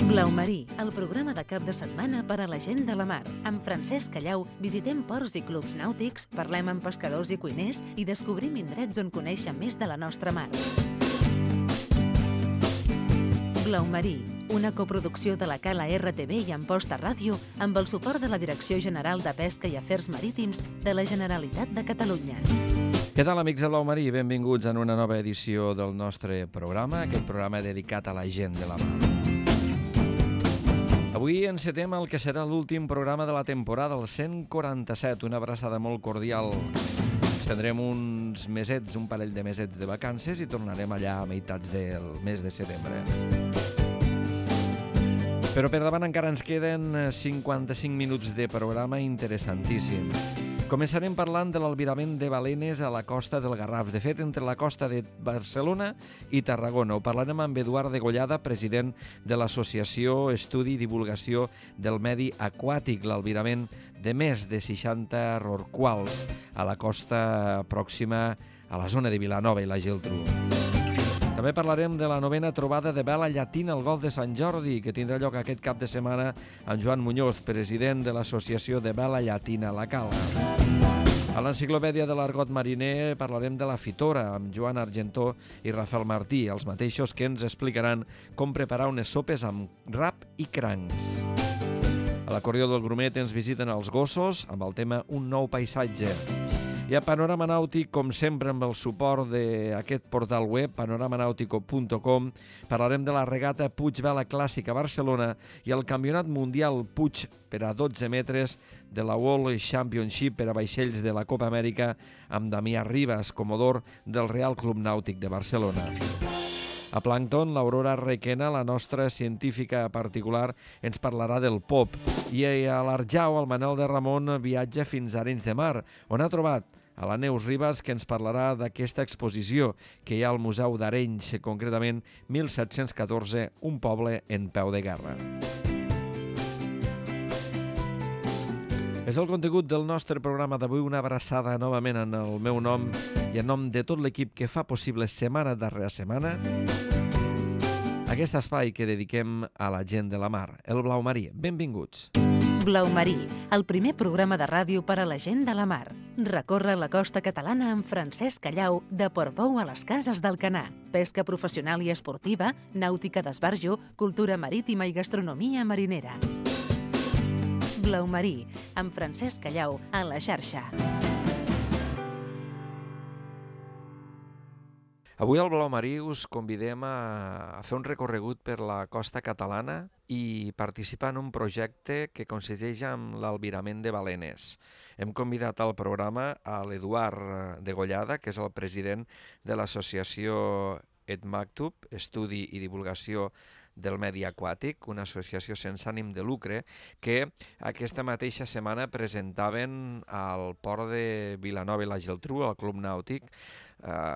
Blau Marí, el programa de cap de setmana per a la gent de la mar. Amb Francesc Callau visitem ports i clubs nàutics, parlem amb pescadors i cuiners i descobrim indrets on conèixer més de la nostra mar. Blau Marí, una coproducció de la Cala RTV i Amposta Ràdio amb el suport de la Direcció General de Pesca i Afers Marítims de la Generalitat de Catalunya. Què tal, amics de Blau Marí? Benvinguts en una nova edició del nostre programa, aquest programa dedicat a la gent de la mar. Avui encetem el que serà l'últim programa de la temporada, el 147, una abraçada molt cordial. Ens prendrem uns mesets, un parell de mesets de vacances i tornarem allà a meitats del mes de setembre. Però per davant encara ens queden 55 minuts de programa interessantíssim. Començarem parlant de l'albirament de balenes a la costa del Garraf. De fet, entre la costa de Barcelona i Tarragona. Ho parlarem amb Eduard Degollada, president de l'Associació Estudi i Divulgació del Medi Aquàtic, l'albirament de més de 60 rorquals a la costa pròxima a la zona de Vilanova i la Geltrú. També parlarem de la 9ª trobada de vela llatina al Golf de Sant Jordi, que tindrà lloc aquest cap de setmana amb Joan Muñoz, president de l'Associació de Vela Llatina La Cala. A l'Enciclopèdia de l'Argot Mariner parlarem de la fitora amb Joan Argentó i Rafael Martí, els mateixos que ens explicaran com preparar unes sopes amb rap i crancs. A l'Acordió del Grumet ens visiten els gossos amb el tema Un nou paisatge. I a Panorama Nàutic, com sempre, amb el suport d'aquest portal web, panoramanautico.com, parlarem de la regata Puig Vela Clàssica a Barcelona i el Campionat Mundial Puig per a 12 metres de la World Championship per a vaixells de la Copa Amèrica amb Damià Ribas, comodor del Real Club Nàutic de Barcelona. A Plàncton, l'Aurora Requena, la nostra científica particular, ens parlarà del pop. I a l'Arjau, el Manel de Ramon viatja fins a Arenys de Mar, on ha trobat a la Neus Ribas, que ens parlarà d'aquesta exposició que hi ha al Museu d'Arenys, concretament 1714, un poble en peu de guerra. És el contingut del nostre programa d'avui, una abraçada novament en el meu nom i en nom de tot l'equip que fa possible setmana darrere setmana aquest espai que dediquem a la gent de la mar, el Blau Marí. Benvinguts. Blau Marí, el primer programa de ràdio per a la gent de la mar. Recorre la costa catalana amb Francesc Callau, de Portbou a les Cases d'Alcanar. Pesca professional i esportiva, nàutica d'esbarjo, cultura marítima i gastronomia marinera. Blau Marí, amb Francesc Callau, a la xarxa. Avui al Blau Marí us convidem a fer un recorregut per la costa catalana i participar en un projecte que consisteix en l'albirament de balenes. Hem convidat al programa a l'Eduard Degollada, que és el president de l'associació EDMACTUB, Estudi i Divulgació del Medi Aquàtic, una associació sense ànim de lucre, que aquesta mateixa setmana presentaven al port de Vilanova i la Geltrú, al Club Nàutic,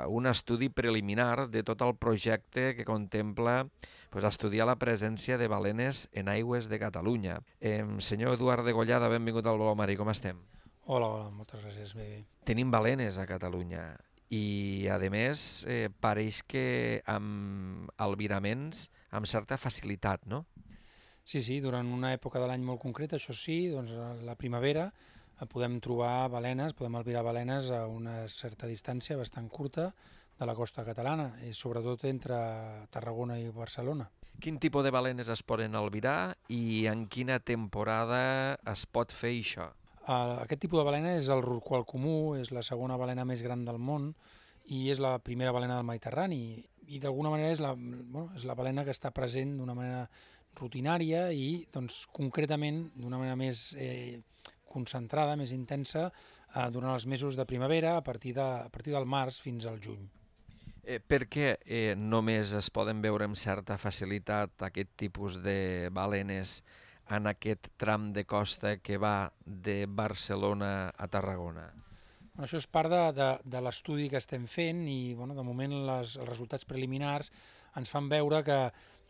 un estudi preliminar de tot el projecte que contempla estudiar la presència de balenes en aigües de Catalunya. Senyor Eduard Degollada, benvingut al Blau Marí, com estem? Hola, moltes gràcies, bé. Tenim balenes a Catalunya i, a més, pareix que amb albiraments amb certa facilitat, no? Sí, durant una època de l'any molt concreta, això sí, doncs a la primavera podem trobar balenes, podem albirar balenes a una certa distància bastant curta de la costa catalana, i sobretot entre Tarragona i Barcelona. Quin tipus de balenes es poden albirar i en quina temporada es pot fer això? Aquest tipus de balena és el rorqual comú, és la segona balena més gran del món i és la primera balena del Mediterrani. I d'alguna manera és la balena que està present d'una manera rutinària i doncs, concretament d'una manera més concentrada, més intensa, durant els mesos de primavera, a partir del març fins al juny. Per què només es poden veure amb certa facilitat aquest tipus de balenes en aquest tram de costa que va de Barcelona a Tarragona? Això és part de l'estudi que estem fent i de moment els resultats preliminars ens fan veure que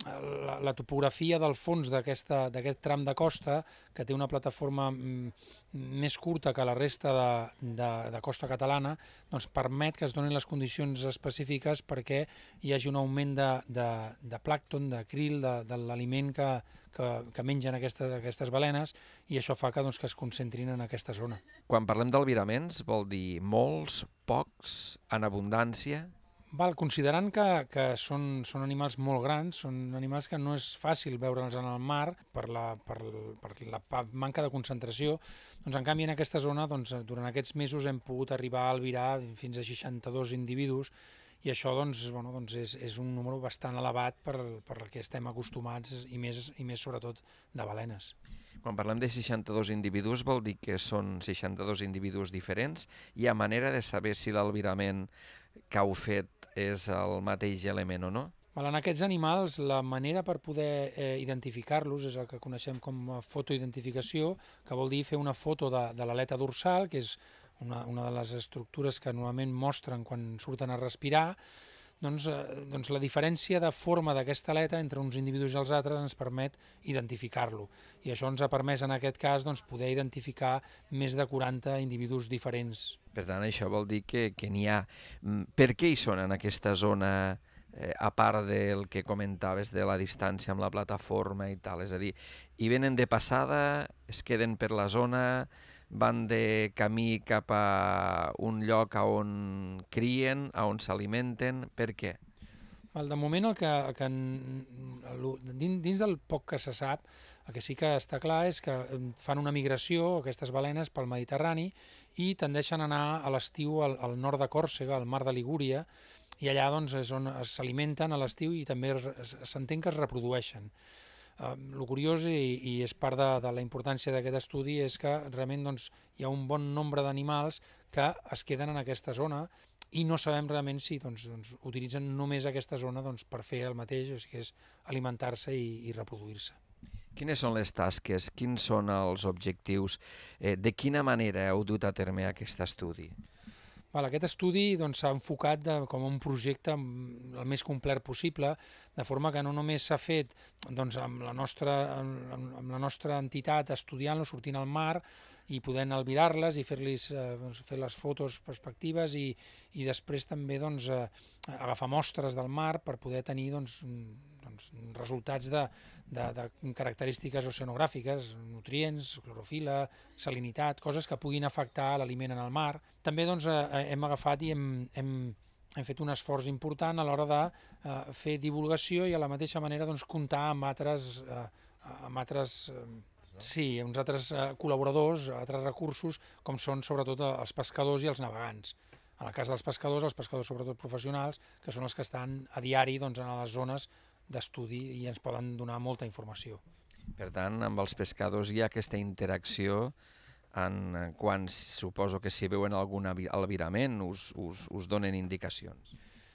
la topografia del fons d'aquest tram de costa, que té una plataforma més curta que la resta de costa catalana, doncs permet que es donin les condicions específiques perquè hi hagi un augment de plàncton, de krill, de l'aliment que mengen aquestes balenes, i això fa que es concentrin en aquesta zona. Quan parlem d'albiraments, vol dir molts, pocs, en abundància? Considerant que són animals molt grans, són animals que no és fàcil veure'ls en el mar per la manca de concentració, doncs en canvi en aquesta zona durant aquests mesos hem pogut arribar a albirar fins a 62 individus, i això és un número bastant elevat per al que estem acostumats, i més sobretot de balenes. Quan parlem de 62 individus vol dir que són 62 individus diferents? Hi ha manera de saber si l'albirament que heu fet és el mateix element o no? En aquests animals, la manera per poder identificar-los és el que coneixem com a fotoidentificació, que vol dir fer una foto de l'aleta dorsal, que és una de les estructures que normalment mostren quan surten a respirar. Doncs la diferència de forma d'aquesta aleta entre uns individus i els altres ens permet identificar-lo. I això ens ha permès, en aquest cas, poder identificar més de 40 individus diferents. Per tant, això vol dir que n'hi ha. Per què hi són en aquesta zona, a part del que comentaves de la distància amb la plataforma i tal? És a dir, hi venen de passada, es queden per la zona, van de camí cap a un lloc on crien, on s'alimenten. Per què? De moment, dins del poc que se sap, el que sí que està clar és que fan una migració, aquestes balenes, pel Mediterrani, i tendeixen a anar a l'estiu al nord de Còrsega, al mar de Ligúria, i allà és on s'alimenten a l'estiu i també s'entén que es reprodueixen. El curiós, i és part de la importància d'aquest estudi, és que realment hi ha un bon nombre d'animals que es queden en aquesta zona i no sabem realment si utilitzen només aquesta zona per fer el mateix, o sigui, que és alimentar-se i reproduir-se. Quines són les tasques? Quins són els objectius? De quina manera heu dut a terme aquest estudi? Aquest estudi s'ha enfocat com un projecte el més complet possible, de forma que no només s'ha fet amb la nostra entitat estudiant-lo, sortint al mar i podent albirar-les i fer les fotos perspectives, i després també agafar mostres del mar per poder tenir resultats de característiques oceanogràfiques, nutrients, clorofila, salinitat, coses que puguin afectar l'aliment en el mar. També hem agafat i hem fet un esforç important a l'hora de fer divulgació i a la mateixa manera comptar amb uns altres col·laboradors, altres recursos, com són sobretot els pescadors i els navegants. En el cas dels pescadors, els pescadors sobretot professionals, que són els que estan a diari en les zones d'estudi i ens poden donar molta informació. Per tant, amb els pescadors hi ha aquesta interacció quan suposo que si veuen algun albirament us donen indicacions.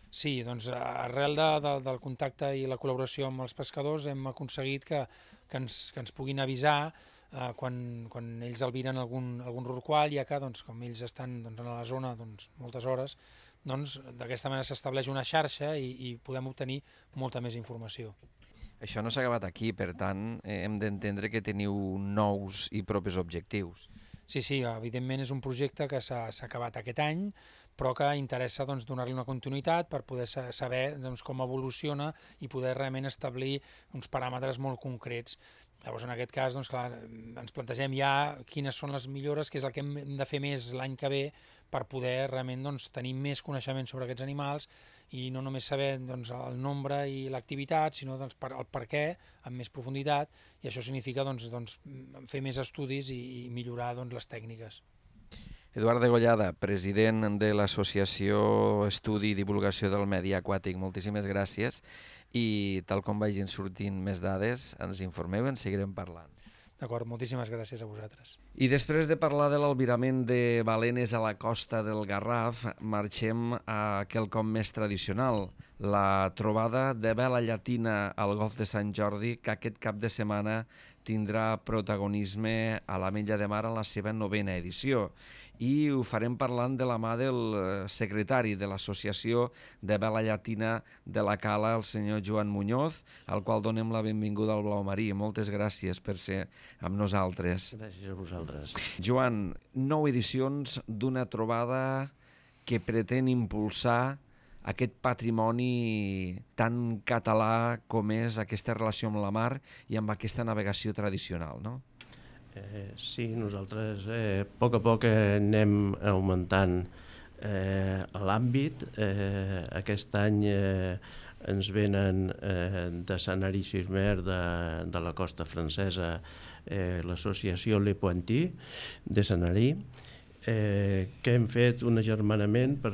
Sí, arrel del contacte i la col·laboració amb els pescadors hem aconseguit que ens puguin avisar quan ells albiren algun rorqual, ja que com ells estan a la zona moltes hores, d'aquesta manera s'estableix una xarxa i podem obtenir molta més informació. Això no s'ha acabat aquí, per tant, hem d'entendre que teniu nous i propers objectius. Sí, evidentment és un projecte que s'ha acabat aquest any, però que interessa donar-li una continuïtat per poder saber com evoluciona i poder realment establir uns paràmetres molt concrets. Llavors, en aquest cas, ens plantegem ja quines són les millores, que és el que hem de fer més l'any que ve per poder realment tenir més coneixement sobre aquests animals i no només saber el nombre i l'activitat, sinó el per què amb més profunditat, i això significa fer més estudis i millorar les tècniques. Eduard Degollada, president de l'Associació Estudi i Divulgació del Medi Aquàtic, moltíssimes gràcies, i tal com vagin sortint més dades, ens informeu i en seguirem parlant. D'acord, moltíssimes gràcies a vosaltres. I després de parlar de l'albirament de balenes a la costa del Garraf, marxem a quelcom més tradicional, la trobada de vela llatina al Golf de Sant Jordi, que aquest cap de setmana tindrà protagonisme a l'Ametlla de Mar en la seva 9ª edició. I ho farem parlant de la mà del secretari de l'Associació de Vela Llatina de la Cala, el senyor Joan Muñoz, al qual donem la benvinguda al Blau Marí. Moltes gràcies per ser amb nosaltres. Gràcies a vosaltres. Joan, 9 edicions d'una trobada que pretén impulsar aquest patrimoni tan català com és aquesta relació amb la mar i amb aquesta navegació tradicional, no? Sí, nosaltres a poc anem augmentant l'àmbit. Aquest any ens venen de Sanary-sur-Mer, de la costa francesa, l'associació Le Pointy de Sanary, que hem fet un agermanament per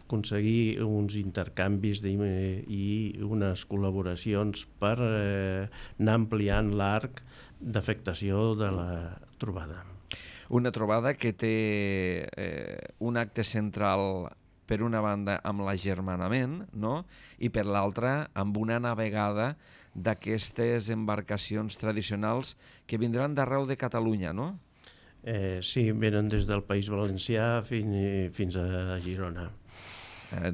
aconseguir uns intercanvis i unes col·laboracions per anar ampliant l'arc d'afectació de la trobada. Una trobada que té un acte central, per una banda, amb l'agermanament, no? I per l'altra, amb una navegada d'aquestes embarcacions tradicionals que vindran d'arreu de Catalunya, no? Sí, venen des del País Valencià fins a Girona.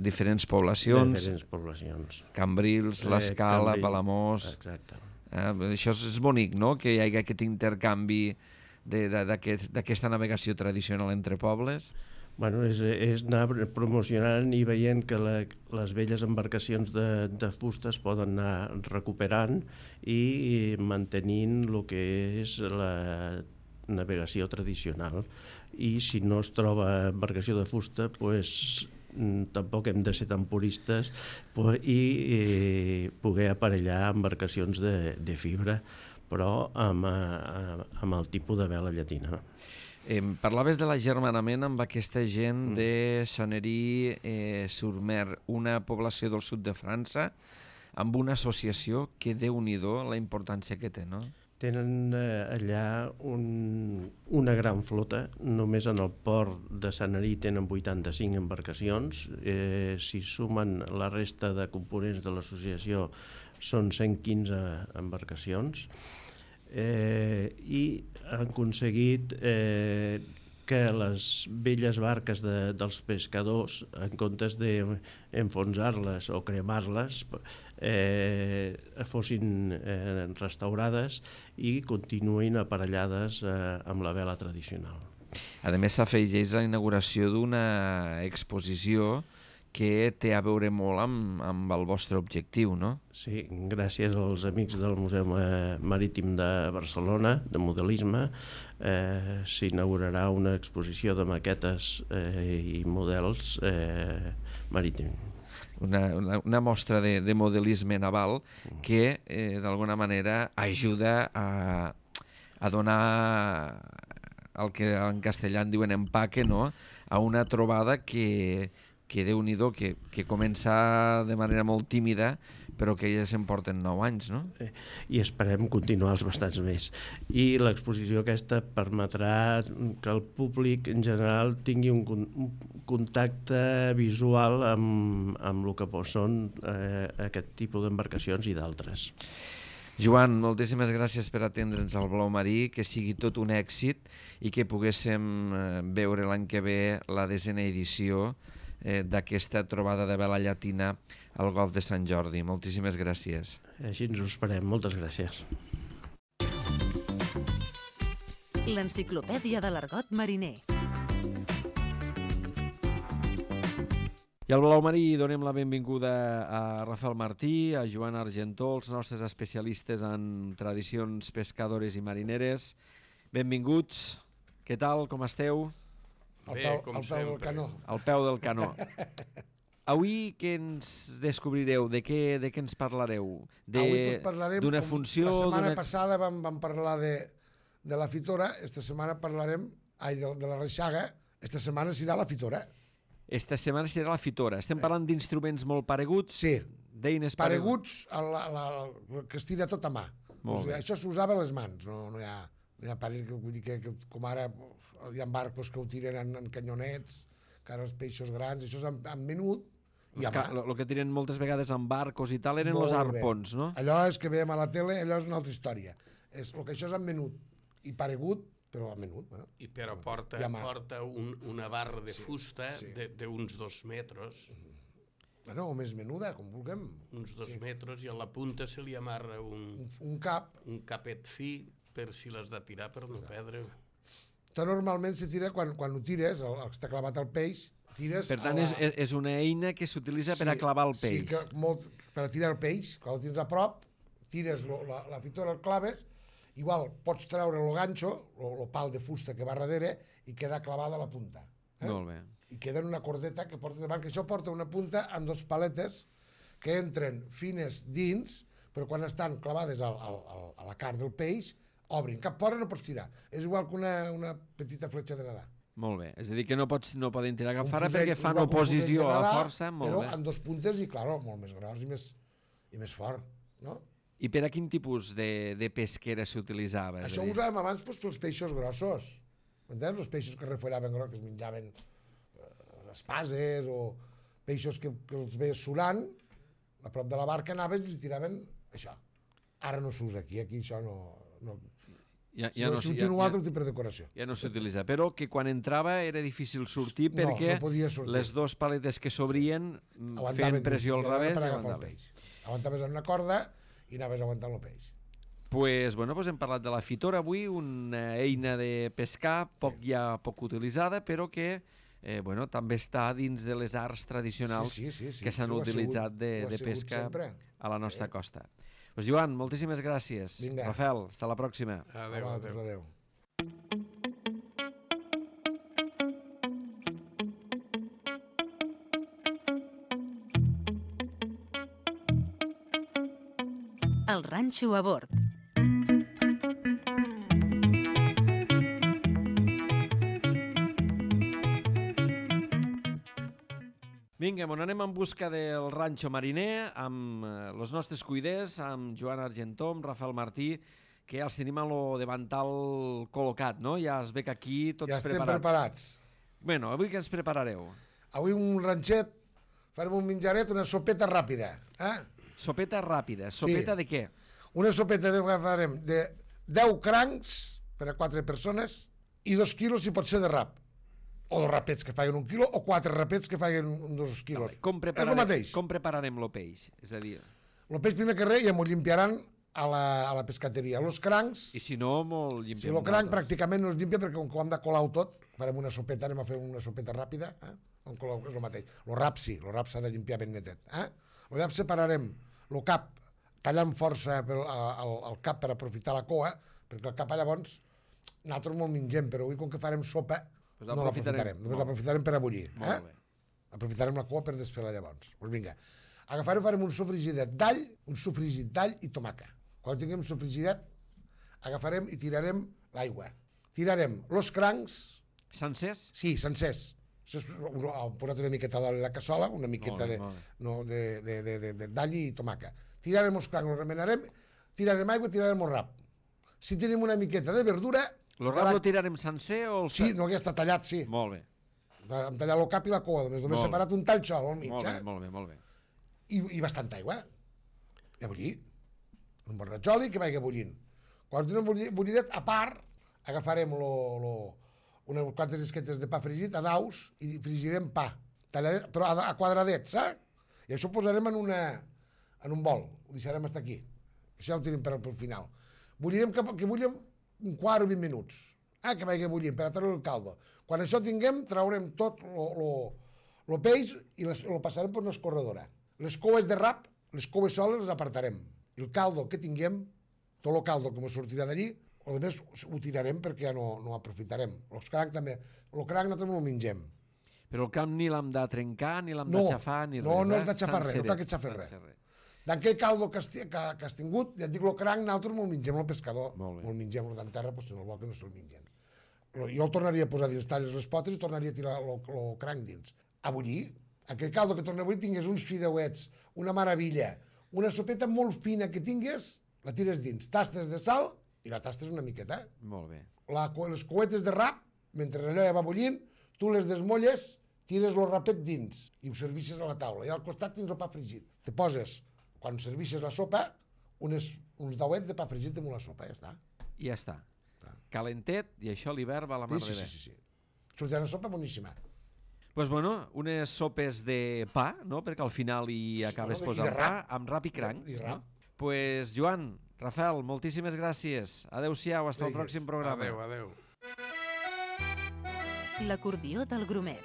Diferents poblacions. Diferents poblacions. Cambrils, l'Escala, Palamós. Exacte. Això és bonic, no?, que hi hagi aquest intercanvi d'aquesta navegació tradicional entre pobles. Bueno, és anar promocionant i veient que les velles embarcacions de fusta es poden anar recuperant i mantenint el que és la navegació tradicional. I si no es troba embarcació de fusta, doncs tampoc hem de ser tan puristes i poder aparellar embarcacions de fibra, però amb el tipus de vela llatina. Parlaves de l'agermanament amb aquesta gent de Sanary-sur-Mer, una població del sud de França, amb una associació que, Déu-n'hi-do, la importància que té, no? Tenen allà una gran flota. Només en el port de Sanary tenen 85 embarcacions. Si sumen la resta de components de l'associació són 115 embarcacions. I han aconseguit que les velles barques dels pescadors, en comptes d'enfonsar-les o cremar-les, fossin restaurades i continuïn aparellades amb la vela tradicional. A més, s'afegeix la inauguració d'una exposició que té a veure molt amb el vostre objectiu, no? Sí, gràcies als amics del Museu Marítim de Barcelona, de modelisme, s'inaugurarà una exposició de maquetes i models marítims. Una mostra de modelisme naval que, d'alguna manera, ajuda a donar el que en castellà en diuen empaque, no?, a una trobada que Déu-n'hi-do, que comença de manera molt tímida, però que ja se'n porten 9 anys, no? I esperem continuar els bastants més. I l'exposició aquesta permetrà que el públic en general tingui un contacte visual amb el que són aquest tipus d'embarcacions i d'altres. Joan, moltíssimes gràcies per atendre'ns al Blau Marí, que sigui tot un èxit i que poguéssim veure l'any que ve la 10ª edició d'aquesta trobada de vela llatina al Golf de Sant Jordi. Moltíssimes gràcies. Així ens ho esperem. Moltes gràcies. L'enciclopèdia de l'argot mariner. I al Blau Marí donem la benvinguda a Rafael Martí, a Joan Argentó, els nostres especialistes en tradicions pescadores i marineres. Benvinguts. Què tal? Com esteu? Al peu del canó. Al peu del canó. Avui què ens descobrireu? De què ens parlareu? Avui parlarem, d'una funció... La setmana passada vam parlar de la fitora, esta setmana parlarem de la reixaga, esta setmana serà la fitora. Esta setmana serà la fitora. Estem parlant d'instruments molt pareguts? Sí, d'eines pareguts que es tira tot a mà. Això s'usava a les mans, no hi ha parell, vull dir que com ara hi ha barcos que ho tiren en canyonets, que ara els peixos grans, això és amb menut, El que tiren moltes vegades amb barcos i tal eren els arpons, no? Allò és que veiem a la tele, allò és una altra història. El que això és amb menut i paregut, però amb menut. Bueno. Però porta una barra de fusta d'uns 2 metres. Bueno, o més menuda, com vulguem. Uns 2 metres, i a la punta se li amarra un capet fi per si l'has de tirar per no perdre. Normalment se tira quan ho tires, el que està clavat al peix, tires... Per tant, és una eina que s'utilitza per a clavar el peix. Sí, per a tirar el peix. Quan el tens a prop, tires la fitora, el claves, igual pots treure el ganxo, el pal de fusta que va darrere, i queda clavada a la punta. Molt bé. I queda en una cordeta que porta davant, que això porta una punta amb 2 paletes que entren fines dins, però quan estan clavades a la carn del peix, obrin. Cap fora no pots tirar. És igual que una petita fletxa de nedar. Molt bé. És a dir, que no poden tirar cap fora perquè fan oposició a la força. Però amb 2 puntes i, clar, molt més gros i més fort. No? I per a quin tipus de pesquera s'utilitzava? Això ho usàvem abans pels peixos grossos. M'entens? Els peixos que refollaven gros, que es menjaven espases o peixos que els veies surant, a prop de la barca anaves i els tiraven això. Ara no s'usa aquí això no... Si no un altre tipus de decoració. Ja no s'utilitza, però que quan entrava era difícil sortir perquè les 2 paletes que s'obrien feien pressió al revés i aguantaven. Aguantaves en una corda i anaves aguantant el peix. Pues hem parlat de la fitora avui, una eina de pescar poc utilitzada, però que també està dins de les arts tradicionals que s'han utilitzat de pesca a la nostra costa. Pues Joan, moltíssimes gràcies. Vinga. Rafael, hasta la pròxima. Adéu. El ranxo a bord. Vinga, anem en busca del ranxo mariner amb els nostres cuiders, amb Joan Argentó, amb Rafael Martí, que ja els tenim a lo davantal col·locat, no? Ja es ve que aquí tots preparats. Ja estem preparats. Bueno, avui què ens preparareu? Avui un ranxet, farem un menjaret, una sopeta ràpida. Sopeta ràpida. Sopeta de què? Una sopeta que farem de 10 crancs per a 4 persones i 2 quilos si pot ser de rap. O 2 rapets que faguen 1 quilo o 4 rapets que faguen 2 quilos. Com prepararem el peix? És a dir... El peix, primer que res, ja m'ho limpiaran a la pescateria. Els crancs... I si no, m'ho llimpiem. Si el cranc pràcticament no es limpia perquè com que ho hem de colar tot, farem una sopeta, anem a fer una sopeta ràpida, on colar és el mateix. El rap sí, el rap s'ha de limpiar ben netet. El rap separarem el cap, tallant força el cap per aprofitar la coa, perquè el cap llavors nosaltres me'l mengem, però avui com que farem sopa no l'aprofitarem, només l'aprofitarem per a bullir. Aprofitarem la coa per desfer-la llavors. Doncs vinga, farem un sofregidet d'all i tomaca. Quan tinguem sofregidet, agafarem i tirarem l'aigua. Tirarem els crancs... Sencers? Sí, sencers. Hem posat una miqueta d'oli a la cassola, una miqueta d'all i tomaca. Tirarem els crancs, els remenarem, tirarem aigua i tirarem el rap. Si tenim una miqueta de verdura... El rap lo tirarem sencer o... Sí, no, ja està tallat, sí. Molt bé. Hem tallat el cap i la coa, només separat un tall sol al mig. Molt bé. I bastanta aigua. I a bullir. Un bon ratjoli que vagi bullint. Quan tenim bullidet, a part, agafarem unes quantes esquetes de pa fregit a daus i frigirem pa, però a quadradets, saps? I això ho posarem en un bol, ho deixarem fins aquí. Això ho tenim per al final. Bullirem que bullem un quart o 20 minuts, que vagi bullint per a treure el caldo. Quan això tinguem, traurem tot el peix i el passarem per una escorredora. Les coues de rap, les coues soles les apartarem. I el caldo que tinguem, tot el caldo que ens sortirà d'allí, a més ho tirarem perquè ja no ho aprofitarem. Els crancs també. El cranc nosaltres no el mengem. Però el camp ni l'hem de trencar, ni l'hem de xafar, ni res. No has de xafar res, no cal que xafar res. D'aquell caldo que has tingut, ja et dic, el cranc nosaltres me'l mengem el pescador. Me'l mengem, el d'enterra, si no el vol que no se'l mengen. Jo el tornaria a posar dins, talles les potes i tornaria a tirar el cranc dins. A bullir, aquell caldo que torna a bullir, tingués uns fideuets, una meravella, una sopeta molt fina que tingués, la tires dins, tastes de sal i la tastes una miqueta. Molt bé. Les coetes de rap, mentre allò ja va bullint, tu les desmolles, tires el rapet dins i ho servisses a la taula. I al costat tens el pa fregit. Te poses, quan servisses la sopa, uns dauets de pa fregit damunt la sopa, ja està. I ja està. Calentet, i això a l'hivern va a la mar de bé. Sí. Sortirà una sopa boníssima. Doncs bueno, unes sopes de pa, no? Perquè al final hi acabes posant pa amb rap i cranc. Pues Joan, Rafael, moltíssimes gràcies. Adéu-siau, fins el pròxim programa. Adéu. L'acordió del Grumet.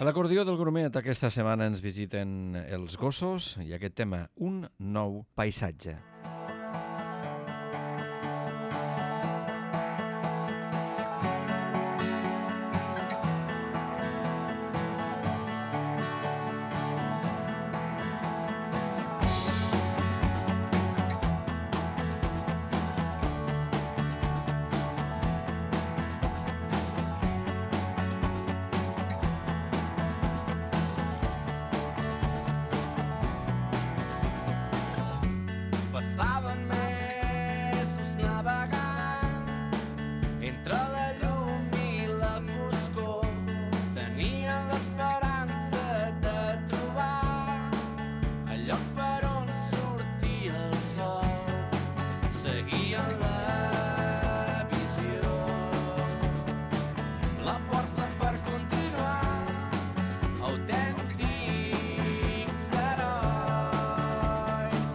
A l'acordió del Grumet aquesta setmana ens visiten els gossos i aquest tema, un nou paisatge. Passaven mesos navegant entre la llum i la foscor. Tenien l'esperança de trobar el lloc per on sortia el sol. Seguien la visió, la força per continuar, autèntics herois.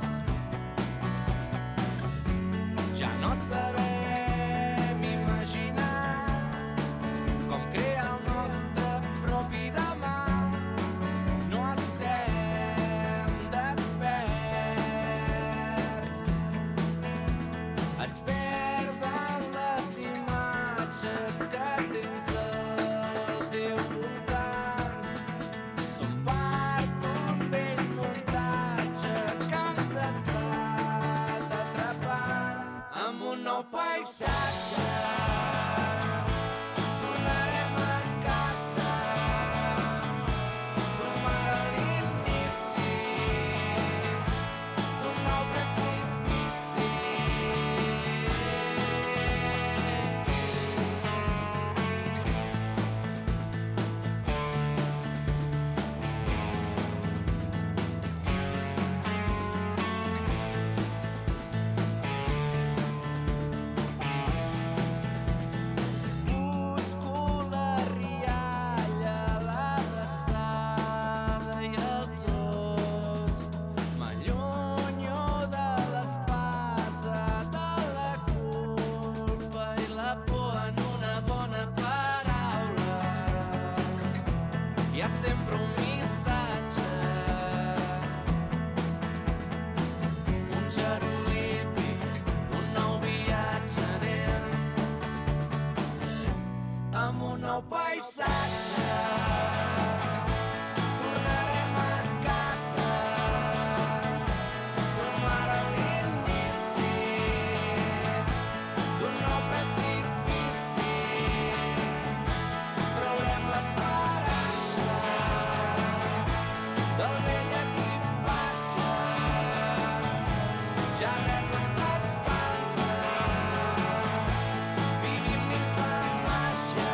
Ja no sabem imaginar com crear el nostre propi demà. No estem desperts. Et perden les imatges que tens al teu voltant. Som part d'un vell muntatge que ens ha estat atrapant. Amb un nou paisatge tornarem a casa. Som ara a l'inici d'un nou precipici. Busco la rialla, l'abraçada i el tot. M'allunyo de l'espasa, de la culpa i la por en una bona paraula. Hi ha sempre un missatge, un jeroglífic, un nou viatge. Anem amb un nou paisatge. Tornarem a casa. Som ara a l'inici d'un nou precipici. Traurem l'esperança del vell equipatge. Ja res ens espanta. Vivim dins la màgia.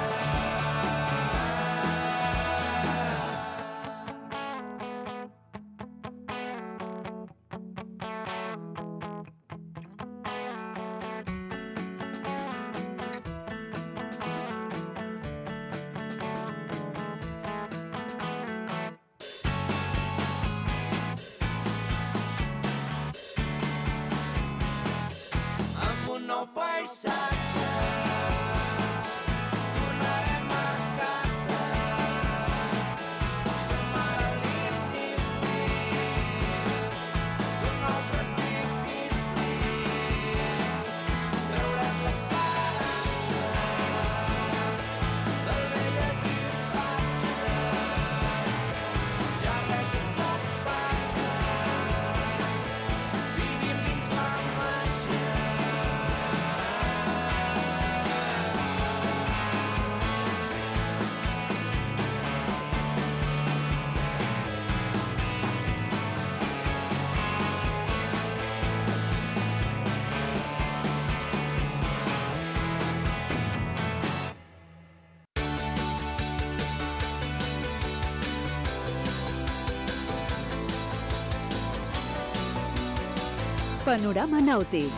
Amb un nou paisatge tornarem a casa. Som ara a l'inici d'un nou precipici. Traurem l'esperança del vell equipatge. Ja res ens espanta. Vivim dins la màgia. Panorama nàutic.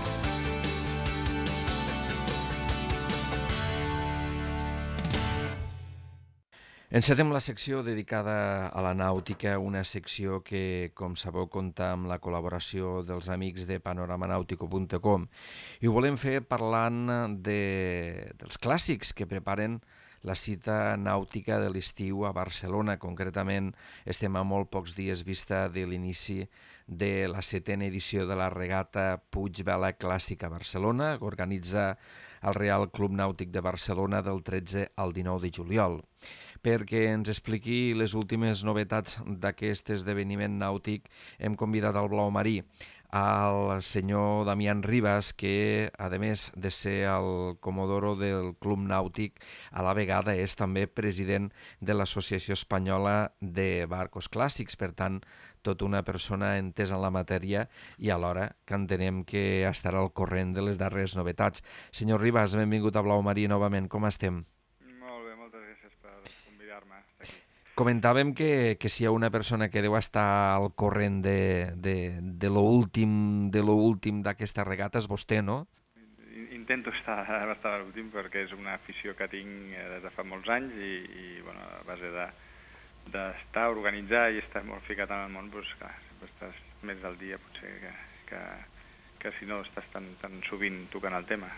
Encetem la secció dedicada a la nàutica, una secció que, com sabeu, compta amb la col·laboració dels amics de panoramanautico.com i ho volem fer parlant dels clàssics que preparen la cita nàutica de l'estiu a Barcelona. Concretament, estem a molt pocs dies vista de l'inici de la 7a edició de la regata Puig Vela Clàssica a Barcelona, que organitza el Real Club Nàutic de Barcelona del 13 al 19 de juliol. Perquè ens expliqui les últimes novetats d'aquest esdeveniment nàutic, hem convidat al Blau Marí, al senyor Damián Ribas, que, a més de ser el comodoro del Club Nàutic, a la vegada és també president de l'Associació Espanyola de Barcos Clàssics. Per tant, tota una persona entesa en la matèria i alhora que entenem que estarà al corrent de les darreres novetats. Senyor Ribas, benvingut a Blau Marí novament. Com estem? Molt bé, moltes gràcies per convidar-me a estar aquí. Comentàvem que si hi ha una persona que deu estar al corrent de l'últim d'aquesta regata és vostè, no? Intento estar a l'últim perquè és una afició que tinc des de fa molts anys i bueno, a base d'estar organitzat i estar molt ficat en el món, doncs clar, sempre estàs més al dia potser que si no estàs tan sovint tocant el tema.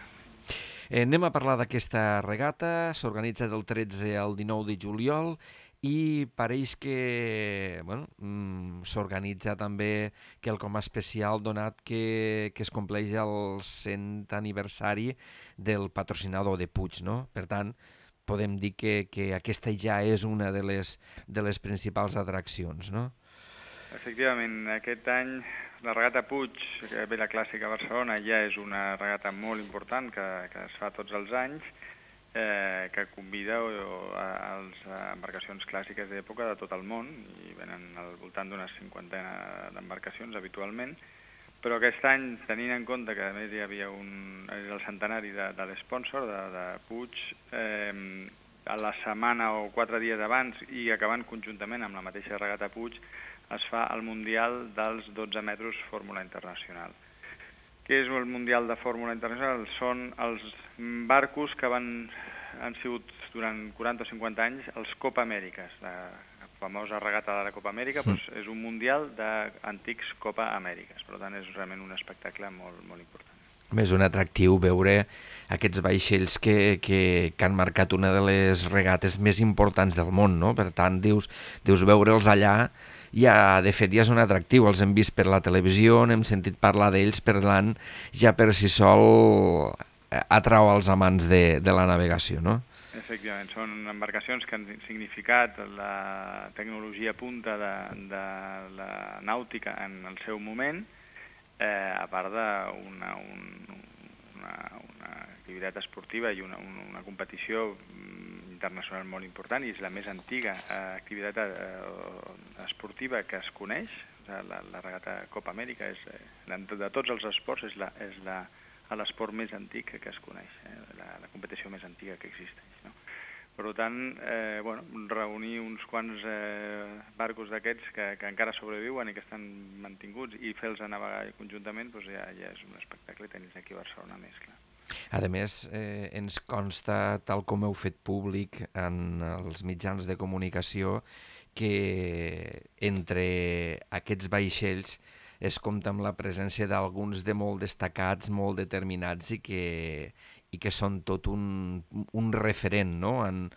Anem a parlar d'aquesta regata, s'organitza del 13 al 19 de juliol i pareix que s'organitza també quelcom especial donat que es compleix el 100 aniversari del patrocinador de Puig, no? Per tant, podem dir que aquesta ja és una de les principals atraccions, no? Efectivament, aquest any la regata Puig Vela Clàssica a Barcelona ja és una regata molt important que es fa tots els anys, que convida a les embarcacions clàssiques d'època de tot el món, i venen al voltant d'unes 50 d'embarcacions habitualment, però aquest any, tenint en compte que a més hi havia el centenari de l'espònsor, de Puig, a la setmana o 4 dies abans i acabant conjuntament amb la mateixa regata Puig, es fa el Mundial dels 12 metres Fórmula Internacional. Què és el Mundial de Fórmula Internacional? Són els barcos que han sigut durant 40 o 50 anys els Copa Amèriques. La famosa regata de la Copa Amèrica és un Mundial d'antics Copa Amèriques. Per tant, és realment un espectacle molt, molt important. A més, un atractiu veure aquests vaixells que han marcat una de les regates més importants del món, no? Per tant, dius veure'ls allà, de fet ja és un atractiu, els hem vist per la televisió, n'hem sentit parlar d'ells, per tant, ja per si sol atrau els amants de la navegació, no? Efectivament, són embarcacions que han significat la tecnologia punta de la nàutica en el seu moment, a part d'una activitat esportiva i una competició internacional molt important, i és la més antiga activitat esportiva que es coneix. La regata Copa Amèrica de tots els esports és l'esport més antic que es coneix, la competició més antiga que existeix, no? Per tant, reunir uns quants barcos d'aquests que encara sobreviuen i que estan mantinguts i fer-los navegar conjuntament, doncs ja és un espectacle, tenir aquí a Barcelona més, clar. A més, ens consta, tal com heu fet públic en els mitjans de comunicació, que entre aquests vaixells es compta amb la presència d'alguns de molt destacats, molt determinats i que són tot un referent, no? En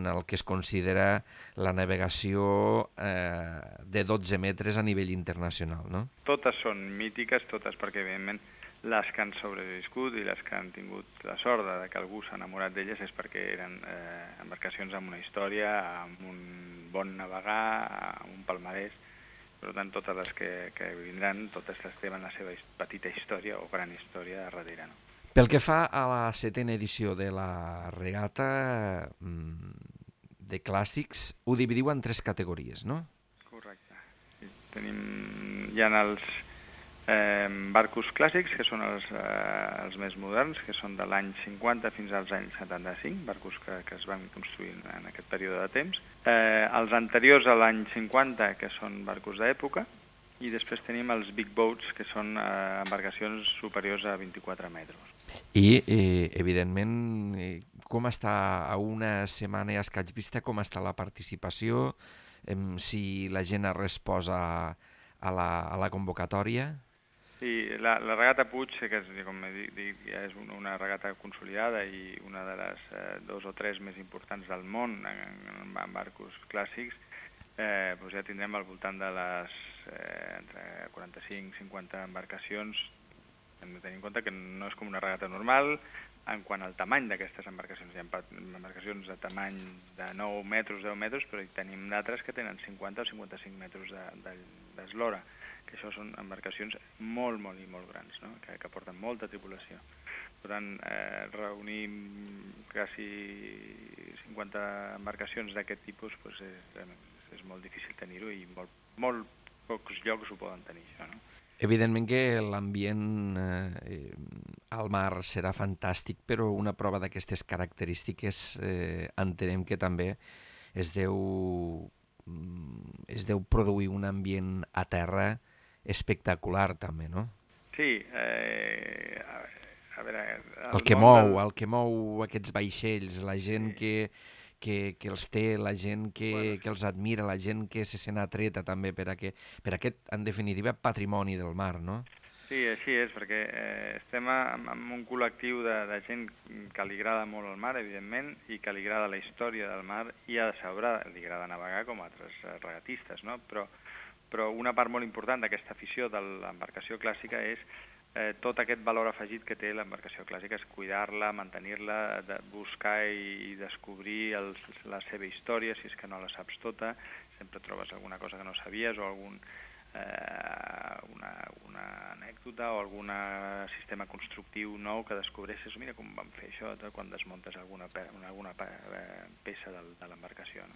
el que es considera la navegació de 12 metres a nivell internacional, no? Totes són mítiques, totes, perquè evidentment les que han sobreviscut i les que han tingut la sort de que algú s'ha enamorat d'elles és perquè eren embarcacions amb una història, amb un bon navegar, amb un palmarès. Per tant, totes les que vindran, totes tenen la seva petita història o gran història darrere, no? Pel que fa a la 7a edició de la regata de clàssics, ho dividiu en 3 categories, no? Correcte. Hi ha els barcos clàssics, que són els més moderns, que són de l'any 50 fins als anys 75, barcos que es van construir en aquest període de temps. Els anteriors a l'any 50, que són barcos d'època, i després tenim els big boats, que són embarcacions superiors a 24 metres. I, evidentment, com està a una setmana i escaig vista, com està la participació, si la gent ha respost a la convocatòria? Sí, la regata Puig, que com dic, ja és una regata consolidada i una de les 2 o 3 més importants del món en barcos clàssics, doncs ja tindrem al voltant de les entre 45 i 50 embarcacions. Hem de tenir en compte que no és com una regata normal en quant al tamany d'aquestes embarcacions. Hi ha embarcacions de tamany de 9 metres, 10 metres, però hi tenim d'altres que tenen 50 o 55 metres d'eslora, que això són embarcacions molt, molt i molt grans, no? que porten molta tripulació. Per tant, reunir quasi 50 embarcacions d'aquest tipus doncs és molt difícil tenir-ho i molt pocs llocs ho poden tenir, això, no? Evidentment que l'ambient al mar serà fantàstic, però una prova d'aquestes característiques entenem que també es deu produir un ambient a terra espectacular també, no? Sí, a veure... El que mou aquests vaixells, la gent que els té, la gent que els admira, la gent que se sent atreta també per aquest, en definitiva, patrimoni del mar, no? Sí, així és, perquè estem en un col·lectiu de gent que li agrada molt el mar, evidentment, i que li agrada la història del mar, i a sobre li agrada navegar com altres regatistes, no? Però una part molt important d'aquesta afició de l'embarcació clàssica és tot aquest valor afegit que té l'embarcació clàssica, és cuidar-la, mantenir-la, buscar i descobrir la seva història, si és que no la saps tota, sempre trobes alguna cosa que no sabies o una anècdota o algun sistema constructiu nou que descobreixes, mira com van fer això quan desmuntes alguna peça de l'embarcació, no?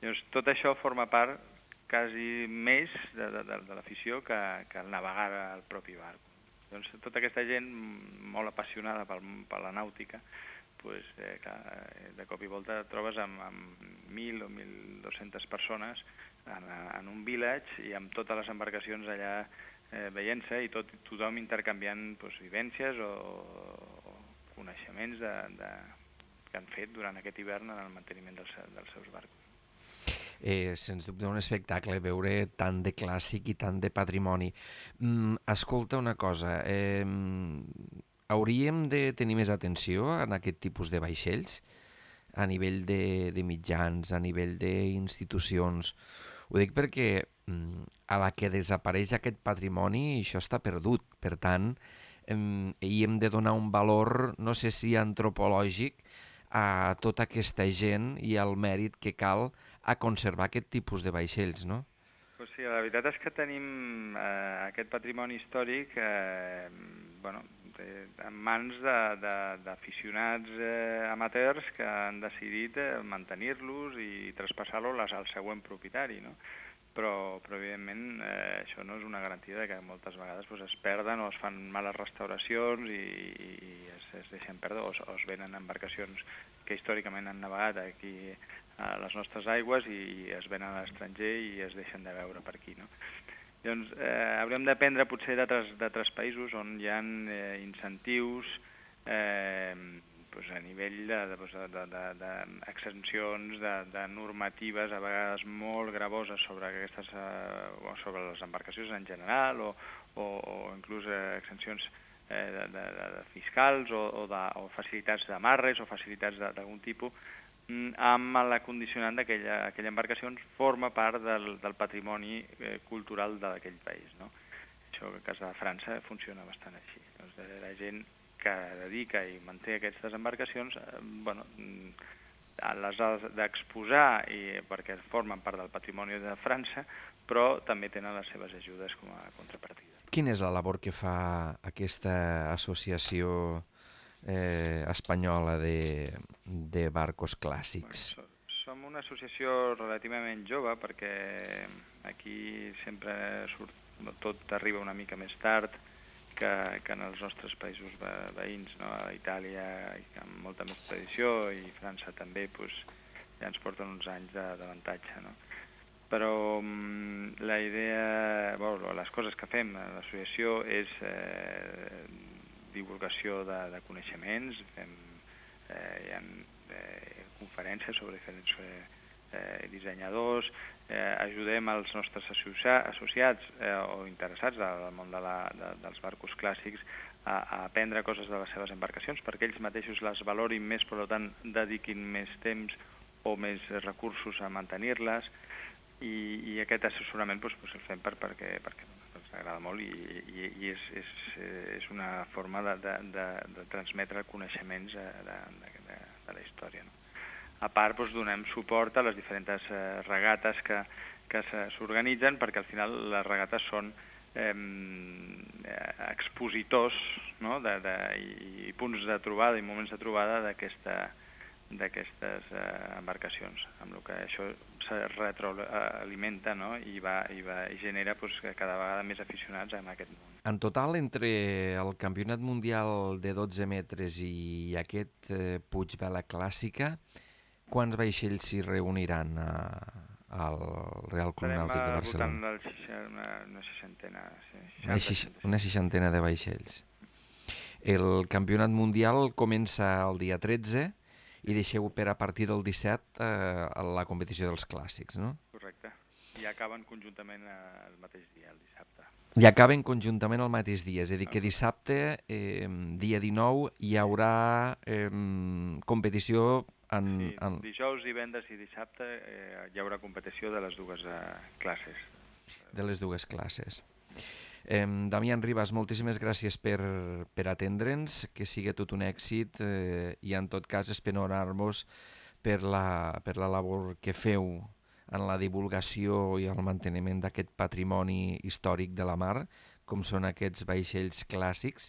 Llavors, tot això forma part quasi més de l'afició que el navegar al propi barco. Doncs tota aquesta gent molt apassionada per la nàutica, pues, de cop i volta trobes amb 1.000 o 1.200 persones en un village i amb totes les embarcacions allà veient-se i tothom intercanviant pues, vivències o coneixements que han fet durant aquest hivern en el manteniment dels seus barcos. Sens dubte un espectacle, veure tant de clàssic i tant de patrimoni. Escolta una cosa, hauríem de tenir més atenció en aquest tipus de vaixells, a nivell de mitjans, a nivell d'institucions. Ho dic perquè a la que desapareix aquest patrimoni això està perdut, per tant, hi hem de donar un valor, no sé si antropològic, a tota aquesta gent i al mèrit que cal a conservar aquest tipus de vaixells, no? Pues sí, la veritat és que tenim aquest patrimoni històric en mans d'aficionats amateurs que han decidit mantenir-los i traspassar-los al següent propietari, no? Però evidentment això no és una garantia que moltes vegades es perden o es fan males restauracions i es deixen perdre o es venen embarcacions que històricament han navegat aquí a les nostres aigües i es venen a l'estranger i es deixen de veure per aquí, no? Llavors, hauríem d'aprendre potser d'altres països on hi ha incentius a nivell d'exempcions, de normatives a vegades molt gravoses sobre les embarcacions en general o inclús exempcions fiscals o facilitats d'amarres o facilitats d'algun tipus amb la condicionant d'aquella embarcació forma part del patrimoni cultural d'aquell país, no? Això que a casa de França funciona bastant així. Doncs la gent que dedica i manté aquestes embarcacions, les ha d'exposar perquè formen part del patrimoni de França, però també tenen les seves ajudes com a contrapartida. Quina és la labor que fa aquesta associació espanyola de barcos clàssics? Som una associació relativament jove perquè aquí sempre tot arriba una mica més tard que en els nostres països veïns, no? A Itàlia amb molta més tradició i França també ja ens porten uns anys d'avantatge, no? però la idea, les coses que fem a l'associació és divulgació de coneixements, hi ha conferències sobre diferents dissenyadors, ajudem els nostres associats o interessats al món dels barcos clàssics a aprendre coses de les seves embarcacions perquè ells mateixos les valorin més, per tant dediquin més temps o més recursos a mantenir-les i aquest assessorament el fem perquè ens agrada molt i és una forma de transmetre coneixements de la història, no? A part, donem suport a les diferents regates que s'organitzen, perquè al final les regates són expositors, no? I punts de trobada i moments de trobada d'aquestes embarcacions, amb el que això se retroalimenta, no? i genera cada vegada més aficionats en aquest món. En total, entre el Campionat Mundial de 12 metres i aquest Puig Vela Clàssica, quants vaixells s'hi reuniran al Real Club Nàutic de Barcelona? Estarem una seixantena. Sí, una seixantena de vaixells. El Campionat Mundial comença el dia 13 i deixeu per a partir del 17 la competició dels clàssics, no? Correcte. I acaben conjuntament el mateix dia, el dissabte. I acaben conjuntament el mateix dia, és a dir, que dissabte, dia 19, hi haurà competició dijous, divendres i dissabte hi haurà competició de les dues classes. De les dues classes. Damián Ribas, moltíssimes gràcies per atendre'ns, que sigui tot un èxit i en tot cas espenorar-vos per la labor que feu en la divulgació i el manteniment d'aquest patrimoni històric de la mar, com són aquests vaixells clàssics,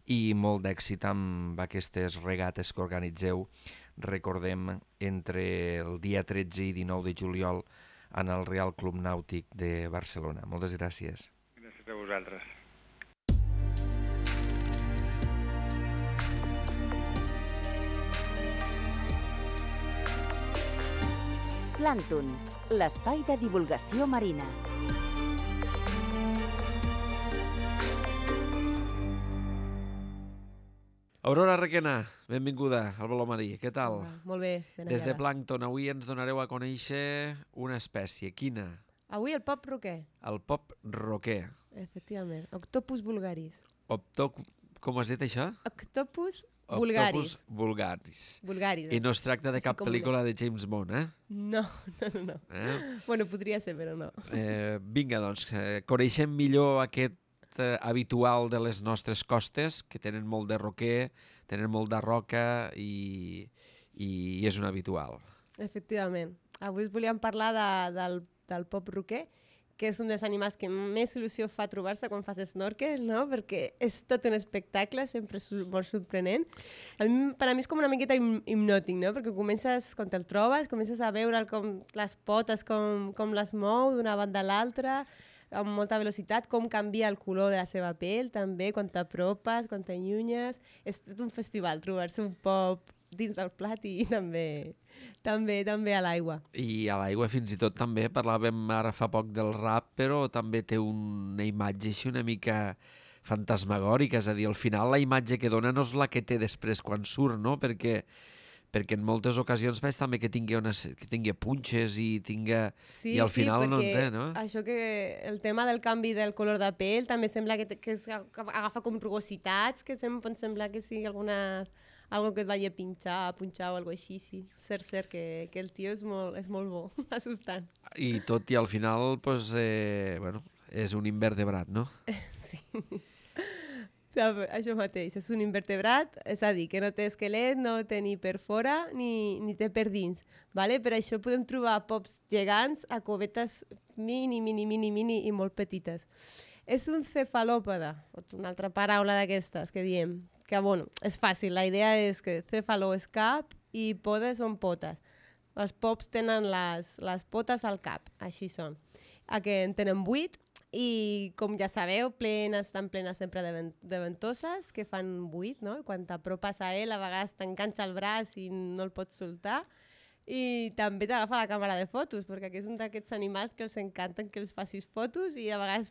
i molt d'èxit amb aquestes regates que organitzeu, recordem, entre el dia 13 i 19 de juliol en el Real Club Nàutic de Barcelona. Moltes gràcies. Gràcies a vosaltres. Plàncton, l'espai de divulgació marina. Aurora Requena, benvinguda al Voló Marí. Què tal? Molt bé, ben Des de hallada. Plàncton, avui ens donareu a conèixer una espècie. Quina? Avui el pop roquer, El pop roquer. efectivament. Octopus vulgaris. Com has dit això? Octopus Octopus vulgaris. vulgaris. Vulgaris. I no es tracta de així cap com pel·lícula de James Bond, eh? No. Bueno, podria ser, però no. Vinga, doncs, coneixem millor aquest habitual de les nostres costes, que tenen molt de roquer, tenen molt de roca i és un habitual. Efectivament. Avui us volíem parlar del pop roquer, que és un dels animals que més il·lusió fa trobar-se quan fas snorkel, no? Perquè és tot un espectacle, sempre és molt sorprenent. Per a mi és com una miqueta hipnòtic, no? Perquè quan te'l trobes, comences a veure com les potes, com les mou d'una banda a l'altra, amb molta velocitat, com canvia el color de la seva pell, també, quan t'apropes, quan t'allunyes. És tot un festival, trobar-se un pop dins del plat i també a l'aigua. I a l'aigua fins i tot també, parlàvem ara fa poc del rap, però també té una imatge així una mica fantasmagòrica, és a dir, al final la imatge que dona no és la que té després quan surt, no? Perquè en moltes ocasions veig també que tingui punxes i i al final no en té, no? Això que el tema del canvi del color de pell també sembla que agafa com rugositats, que pot semblar que sigui algo que et vagi a punxar o alguna cosa així, sí. Cert que el tio és molt bo, assustant. I tot i al final, doncs, és un invertebrat, no? Sí. Això mateix, és un invertebrat, és a dir, que no té esquelet, no té ni per fora ni té per dins. Vale? Per això podem trobar pops gegants a covetes mini i molt petites. És un cefalòpode, una altra paraula d'aquestes que diem, que bueno, és fàcil, la idea és que cefaló és cap i podes són potes. Els pops tenen les potes al cap, així són. Que en tenen 8 i, com ja sabeu, estan plenes sempre de ventoses, que fan 8, no? I quan t'apropes a ell, a vegades t'enganxa el braç i no el pots soltar. I també t'agafa la càmera de fotos, perquè és un d'aquests animals que els encanten que els facis fotos i a vegades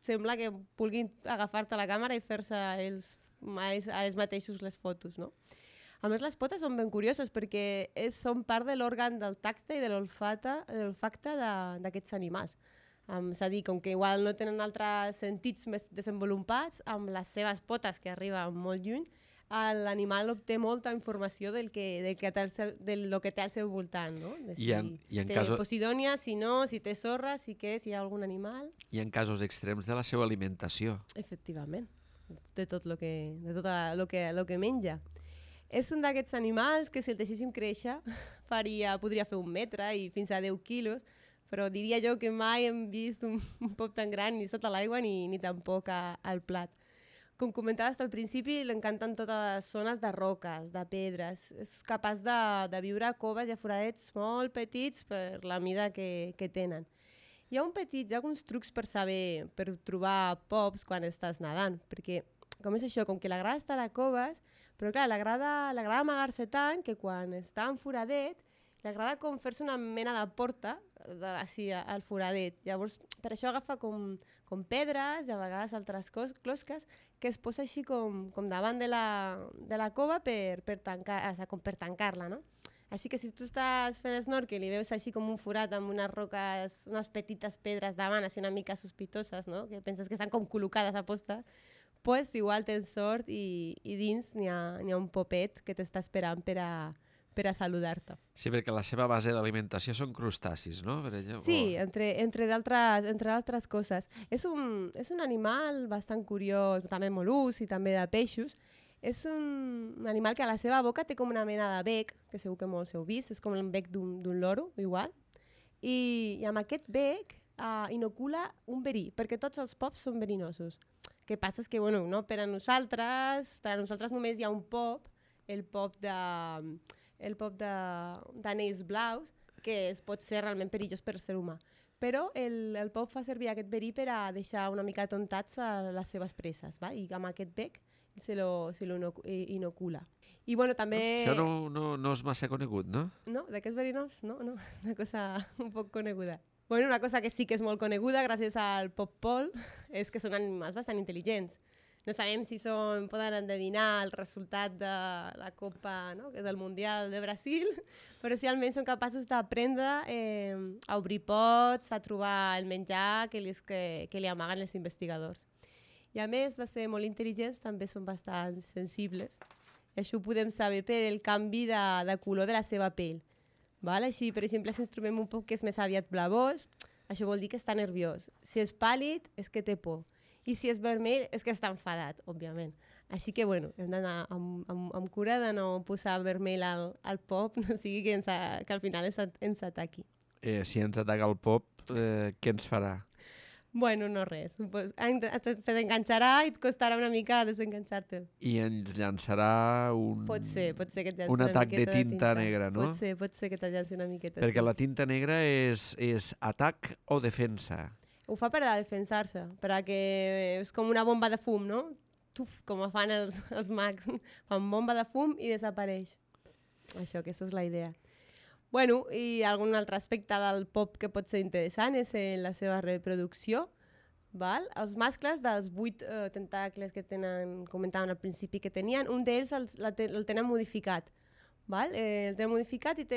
sembla que vulguin agafar-te la càmera i fer-se ells mateixos les fotos, no? A més, les potes són ben curioses perquè són part de l'òrgan del tacte i de l'olfacte d'aquests animals. És a dir, com que igual no tenen altres sentits més desenvolupats, amb les seves potes, que arriben molt lluny, l'animal obté molta informació del que té al seu voltant, no? De si té posidònia, si no, si té sorra, si hi ha algun animal. I en casos extrems de la seva alimentació. Efectivament, de tot el que menja. És un d'aquests animals que si el deixéssim créixer podria fer 1 metre i fins a 10 quilos, però diria jo que mai hem vist un pop tan gran ni sota l'aigua ni tampoc al plat. Com comentaves al principi, l'encanten totes les zones de roques, de pedres. És capaç de viure a coves i a foradets molt petits per la mida que tenen. Hi ha alguns trucs per trobar pops quan estàs nedant, perquè com és això, com que l'agrada estar a coves, però clar, l'agrada amagar-se tant que quan està en foradet, l'agrada com fer-se una mena de porta al foradet. Llavors, per això agafa com pedres i a vegades altres closques que es posa així com davant de la cova per tancar-la, no? Així que si tu estàs fent snorkel i veus així com un forat amb unes roques, unes petites pedres davant, així una mica sospitoses, no? Que penses que estan com col·locades a posta, pues igual tens sort i dins n'hi ha un popet que t'està esperant per a saludar-te. Sí, perquè la seva base d'alimentació són crustacis, no? Sí, entre d'altres coses. És un animal bastant curiós, també mol·luscs i també de peixos. És un animal que a la seva boca té com una mena de bec, que segur que molts heu vist, és com el bec d'un loro, igual. I amb aquest bec inocula un verí, perquè tots els pops són verinosos. El que passa és que, bueno, no, per a nosaltres només hi ha un pop, el pop d'anells blaus, que pot ser realment perillós per ser humà. Però el pop fa servir aquest verí per a deixar una mica tontats a les seves preses, va? I amb aquest bec se lo inocula. I bueno, també... Això no és massa conegut, no? No, d'aquests verinós, no, és una cosa un poc coneguda. Bueno, una cosa que sí que és molt coneguda gràcies al pop-pol és que són animals bastant intel·ligents. No sabem si poden endevinar el resultat de la Copa, no? Del Mundial de Brasil, però sí almenys són capaços d'aprendre a obrir pots, a trobar el menjar que li amaguen els investigadors. I a més de ser molt intel·ligents, també són bastant sensibles. I això ho podem saber pel canvi de color de la seva pell. Val? Així, per exemple, si ens trobem un poc que és més aviat blavós, això vol dir que està nerviós. Si és pàl·lid, és que té por. I si és vermell, és que està enfadat, òbviament. Així que, bueno, hem d'anar amb cura de no posar vermell al pop, no sigui que al final ens ataqui. Si ens ataca el pop, què ens farà? Bueno, no res. Se t'enganxarà i et costarà una mica desenganxar-te'l. I ens llançarà pot ser que et llanci un atac de tinta negra, no? Pot ser que et llanci una miqueta. Perquè la tinta negra és atac o defensa? Ho fa per a defensar-se, perquè és com una bomba de fum, no? Tuf, com fan els mags. Fan bomba de fum i desapareix. Aquesta és la idea. Bueno, i algun altre aspecte del pop que pot ser interessant és la seva reproducció. Val? Els mascles dels 8 tentacles que comentaven al principi que tenien, un d'ells el tenen modificat. Val? El tenen modificat i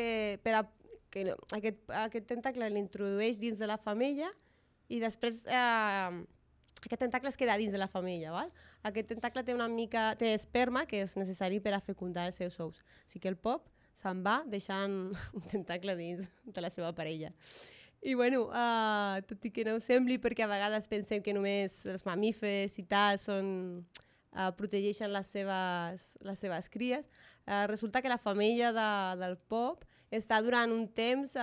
aquest tentacle l'introdueix dins de la femella i després aquest tentacle es queda dins de la femella. Val? Aquest tentacle té esperma que és necessari per a fecundar els seus ous. Així que el pop se'n va deixant un tentacle dins de la seva parella. I bueno, tot i que no ho sembli, perquè a vegades pensem que només els mamífers i tal protegeixen les seves cries, resulta que la femella del pop està durant un temps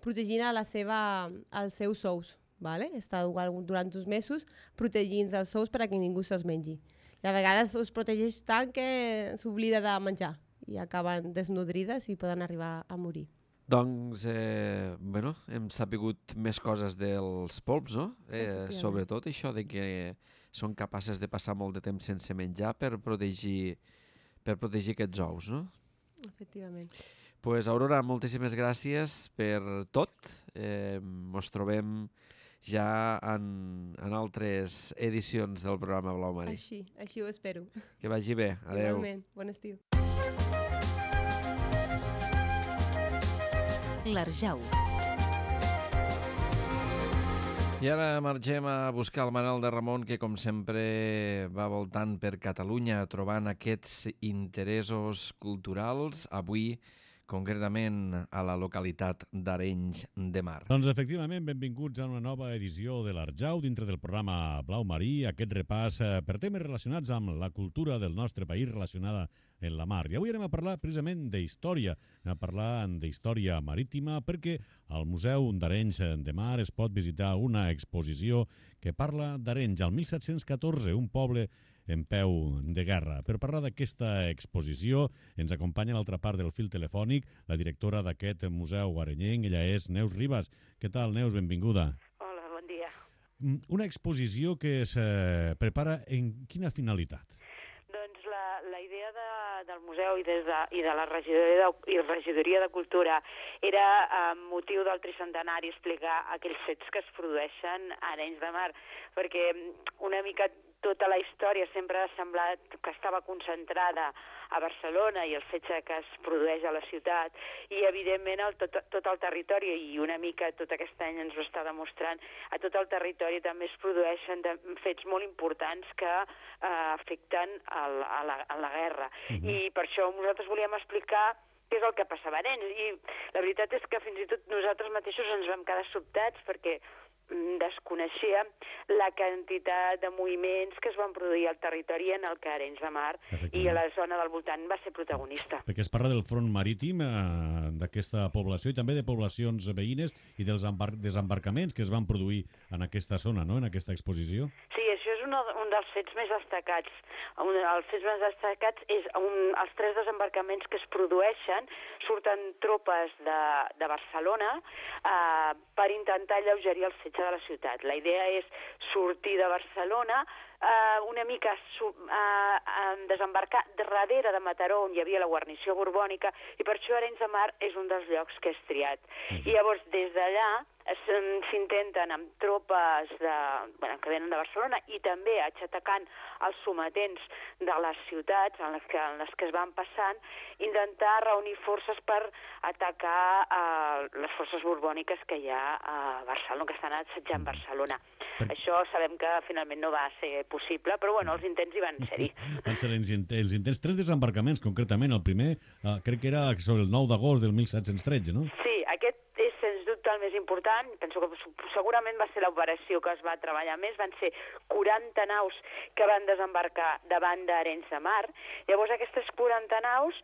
protegint els seus ous. Vale? Està durant 2 mesos protegint els ous per a que ningú se'ls mengi. I a vegades els protegeix tant que s'oblida de menjar i acaben desnodrides i poden arribar a morir. Doncs, hem sapigut més coses dels polps, no? Sobretot això de que són capaces de passar molt de temps sense menjar per protegir aquests ous, no? Efectivament. Pues, Aurora, moltíssimes gràcies per tot. Ens trobem ja en altres edicions del programa Blau Marí. Així ho espero. Que vagi bé. Adéu. Igualment. Bon estiu. L'Arjau. I ara marxem a buscar el Manel de Ramon, que com sempre va voltant per Catalunya trobant aquests interessos culturals. Avui, concretament a la localitat d'Arenys de Mar. Doncs efectivament, benvinguts a una nova edició de l'Arjau dintre del programa Blau Marí, aquest repàs per temes relacionats amb la cultura del nostre país relacionada en la mar. I avui anem a parlar precisament d'història, anem a parlar d'història marítima perquè al Museu d'Arenys de Mar es pot visitar una exposició que parla d'Arenys al 1714, un poble en peu de guerra. Per parlar d'aquesta exposició ens acompanya a l'altra part del fil telefònic la directora d'aquest museu arenyenc, ella és Neus Ribas. Què tal, Neus? Benvinguda. Hola, bon dia. Una exposició que es prepara en quina finalitat? Doncs la idea del museu i de la regidoria de Cultura era, amb motiu del tricentenari, explicar aquells fets que es produeixen a Arenys de Mar, perquè una mica tota la història sempre ha semblat que estava concentrada a Barcelona i el fet que es produeix a la ciutat, i evidentment tot el territori, i una mica tot aquest any ens ho està demostrant, a tot el territori també es produeixen fets molt importants que afecten a la guerra. I per això nosaltres volíem explicar què és el que passava a Arenys, i la veritat és que fins i tot nosaltres mateixos ens vam quedar sobtats perquè desconeixíem la quantitat de moviments que es van produir al territori en el que Arenys de Mar i a la zona del voltant va ser protagonista. Perquè es parla del front marítim d'aquesta població i també de poblacions veïnes i dels desembarcaments que es van produir en aquesta zona, no?, en aquesta exposició. Sí, això és un dels fets més destacats. Els fets més destacats és els 3 desembarcaments que es produeixen. Surten tropes de Barcelona per intentar alleugerir el setge de la ciutat. La idea és sortir de Barcelona, una mica desembarcar darrere de Mataró, on hi havia la guarnició borbònica, i per això Arenys de Mar és un dels llocs que és triat. I llavors, des d'allà, s'intenten amb tropes que venen de Barcelona i també atacant els sometents de les ciutats en les que es van passant, intentar reunir forces per atacar les forces borbòniques que hi ha a Barcelona, que estan assetjant Barcelona. Això sabem que finalment no va ser possible, però bueno, els intents hi van ser-hi. Van ser els intents, 3 desembarcaments concretament. El primer crec que era sobre el 9 d'agost del 1713, no? Sí, aquest és sens dubte el més important. Penso que segurament va ser l'operació que es va treballar més. Van ser 40 naus que van desembarcar davant d'Arenys de Mar. Llavors aquestes 40 naus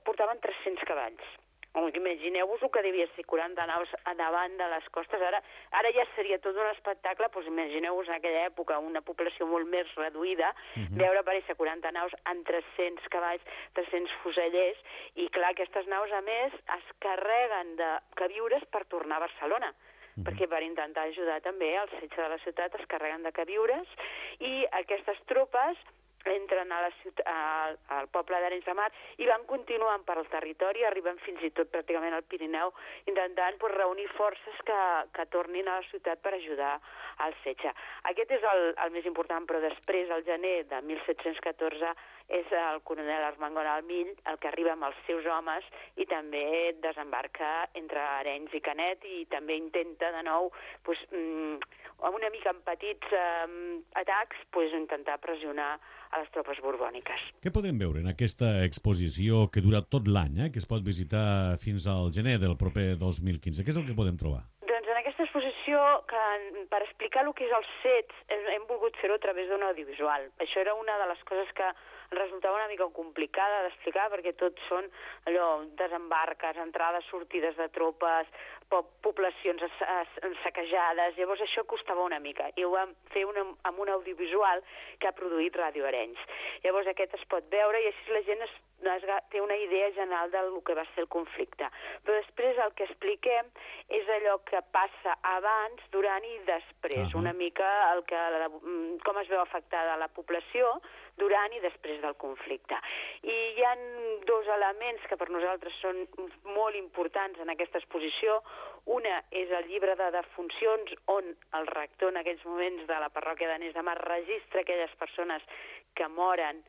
portaven 300 cavalls. Imagineu-vos el que devia ser 40 naus davant de les costes. Ara ja seria tot un espectacle, doncs imagineu-vos en aquella època una població molt més reduïda, veure aparèixer 40 naus amb 300 cavalls, 300 fusellers, i clar, aquestes naus a més es carreguen de queviures per tornar a Barcelona, perquè per intentar ajudar també al setge de la ciutat es carreguen de queviures, i aquestes tropes entren al poble d'Arenys de Mar i van continuant per al territori, arriben fins i tot pràcticament al Pirineu, intentant reunir forces que tornin a la ciutat per ajudar al setge. Aquest és el més important, però després, al gener de 1714, és el coronel Armengol Almill el que arriba amb els seus homes i també desembarca entre Arenys i Canet, i també intenta de nou, una mica amb petits atacs, intentar pressionar a les tropes borbòniques. Què podem veure en aquesta exposició que dura tot l'any, que es pot visitar fins al gener del proper 2015? Què és el que podem trobar? Doncs en aquesta exposició, per explicar el que és els fets, hem volgut fer-ho a través d'un audiovisual. Això era una de les coses que resultava una mica complicada d'explicar, perquè tot són desembarques, entrades, sortides de tropes, poblacions saquejades. Llavors això costava una mica, i ho vam fer amb un audiovisual que ha produït Ràdio Arenys. Llavors aquest es pot veure, i així la gent té una idea general del que va ser el conflicte. Però després el que expliquem és allò que passa abans, durant i després, una mica com es veu afectada la població durant i després del conflicte. I hi ha dos elements que per nosaltres són molt importants en aquesta exposició. Una és el llibre de defuncions, on el rector en aquells moments de la parròquia d'Arenys de Mar registra aquelles persones que moren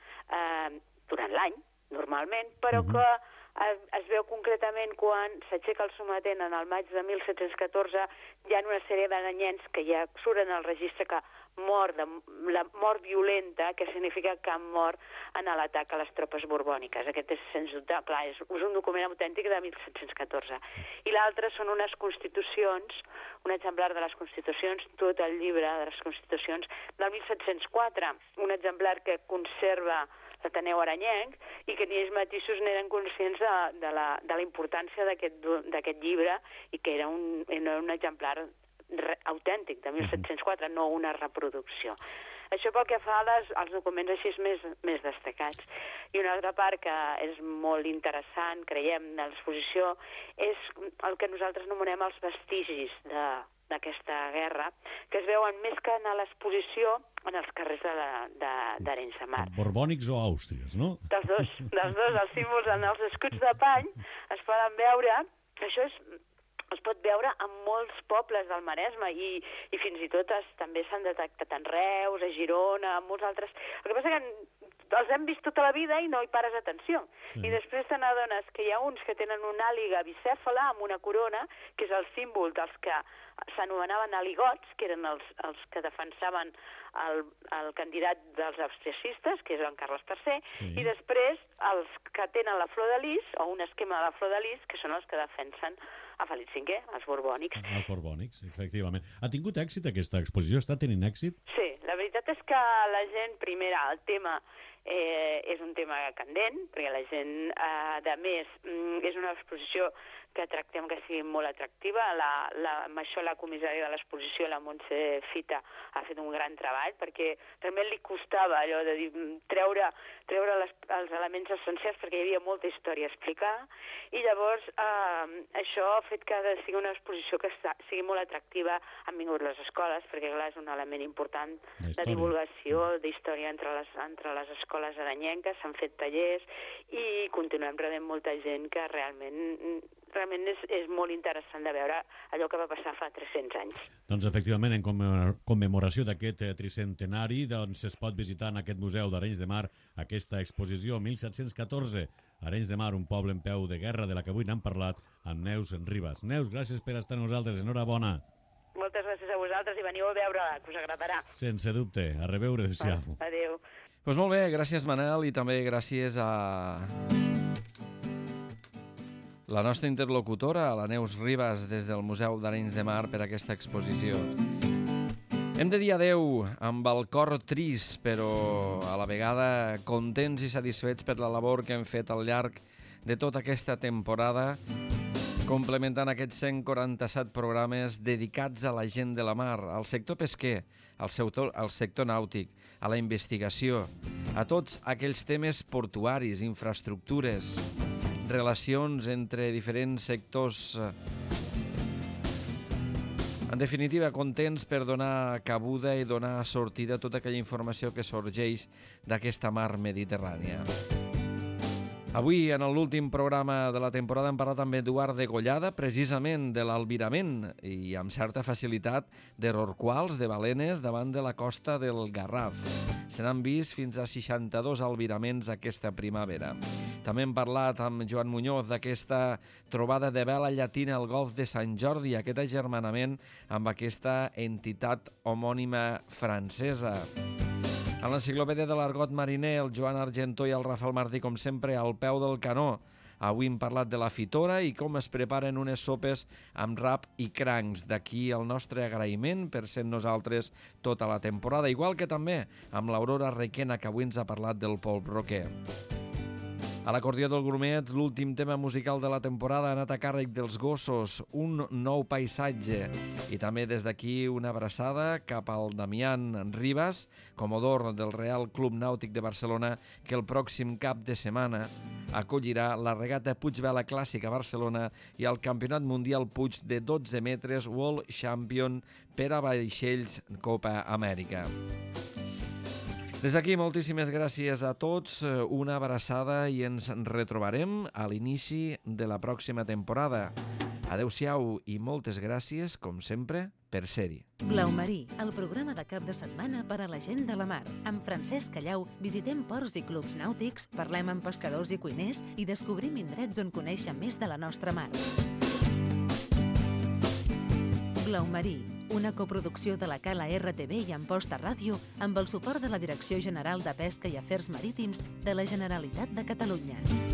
durant l'any, normalment, però que es veu concretament quan s'aixeca el sometent en el maig de 1714, hi ha una sèrie de nens que ja surten al registre que la mort violenta, que significa que han mort en l'atac a les tropes borbòniques. Aquest és, sens dubte, clar, és un document autèntic de 1714. I l'altre són unes constitucions, un exemplar de les constitucions, tot el llibre de les constitucions del 1704, un exemplar que conserva l'Ateneu Arenyenc i que ni ells mateixos n'eren conscients de la importància d'aquest llibre i que era un exemplar autèntic de 1704, no una reproducció. Això pel que fa als documents així més destacats. I una altra part que és molt interessant, creiem, de l'exposició, és el que nosaltres anomenem els vestigis d'aquesta guerra, que es veuen més que en l'exposició en els carrers d'Arenys de Mar. Borbònics o àustries, no? Dels dos, els símbols en els escuts de pany es poden veure, això es pot veure en molts pobles del Maresme i fins i tot també s'han detectat en Reus, a Girona, en molts altres. El que passa que els hem vist tota la vida i no hi pares atenció. Sí. I després te n'adones que hi ha uns que tenen una àliga bicèfala amb una corona, que és el símbol dels que s'anomenaven aligots, que eren els que defensaven el candidat dels austriacistes, que és en Carles III, i després els que tenen la flor de lis, o un esquema de la flor de lis, que són els que defensen a Felip V, els borbònics. Els borbònics, efectivament. Ha tingut èxit aquesta exposició? Està tenint èxit? Sí, la veritat és que la gent, primera, el tema és un tema candent, perquè la gent, a més, és una exposició que tractem que sigui molt atractiva. Amb això la comissària de l'exposició, la Montse Fita, ha fet un gran treball, perquè realment li costava allò de treure els elements essencials, perquè hi havia molta història a explicar, i llavors això ha fet que sigui una exposició que sigui molt atractiva. Han vingut les escoles, perquè clar, és un element important de divulgació, d'història entre les escoles arenyenques, s'han fet tallers, i continuem rebent molta gent que realment és molt interessant de veure allò que va passar fa 300 anys. Doncs efectivament, en commemoració d'aquest tricentenari, doncs es pot visitar en aquest museu d'Arenys de Mar aquesta exposició 1714, Arenys de Mar, un poble en peu de guerra, de la que avui n'hem parlat amb Neus Ribas. Neus, gràcies per estar amb nosaltres, enhorabona. Moltes gràcies a vosaltres i veniu a veure-la, que us agradarà. Sense dubte, a reveure, adéu-siau. Adéu. Doncs molt bé, gràcies Manel, i també gràcies a la nostra interlocutora, la Neus Ribas, des del Museu d'Arenys de Mar, per aquesta exposició. Hem de dir adeu amb el cor trist, però a la vegada contents i satisfets per la labor que hem fet al llarg de tota aquesta temporada, complementant aquests 147 programes dedicats a la gent de la mar, al sector pesquer, al sector nàutic, a la investigació, a tots aquells temes portuaris, infraestructures, relacions entre diferents sectors. En definitiva, contents per donar cabuda i donar sortida a tota aquella informació que sorgeix d'aquesta mar mediterrània. Avui, en l'últim programa de la temporada, hem parlat amb Eduard Degollada, precisament de l'albirament i amb certa facilitat de rorquals, de balenes, davant de la costa del Garraf. Se n'han vist fins a 62 albiraments aquesta primavera. També hem parlat amb Joan Muñoz d'aquesta trobada de vela llatina al golf de Sant Jordi, aquest agermanament amb aquesta entitat homònima francesa. A l'enciclopèdia de l'argot mariner, el Joan Argentó i el Rafael Martí, com sempre, al peu del canó. Avui hem parlat de la fitora i com es preparen unes sopes amb rap i crancs. D'aquí el nostre agraïment per ser nosaltres tota la temporada, igual que també amb l'Aurora Requena, que avui ens ha parlat del polp roquer. A l'acordió del Grumet, l'últim tema musical de la temporada ha anat a càrrec dels Gossos, un nou paisatge. I també des d'aquí una abraçada cap al Damián Ribas, comodor del Real Club Nàutic de Barcelona, que el pròxim cap de setmana acollirà la regata Puigvela Clàssica a Barcelona i el Campionat Mundial Puig de 12 metres World Champion per a vaixells Copa Amèrica. Des d'aquí, moltíssimes gràcies a tots, una abraçada i ens retrobarem a l'inici de la pròxima temporada. Adéu-siau i moltes gràcies, com sempre, per ser-hi. Blau Marí, el programa de cap de setmana per a la gent de la mar. Amb Francesc Callau visitem ports i clubs nàutics, parlem amb pescadors i cuiners i descobrim indrets on conèixer més de la nostra mar. Blau Marí, una coproducció de la Cala RTV i Amposta Ràdio amb el suport de la Direcció General de Pesca i Afers Marítims de la Generalitat de Catalunya.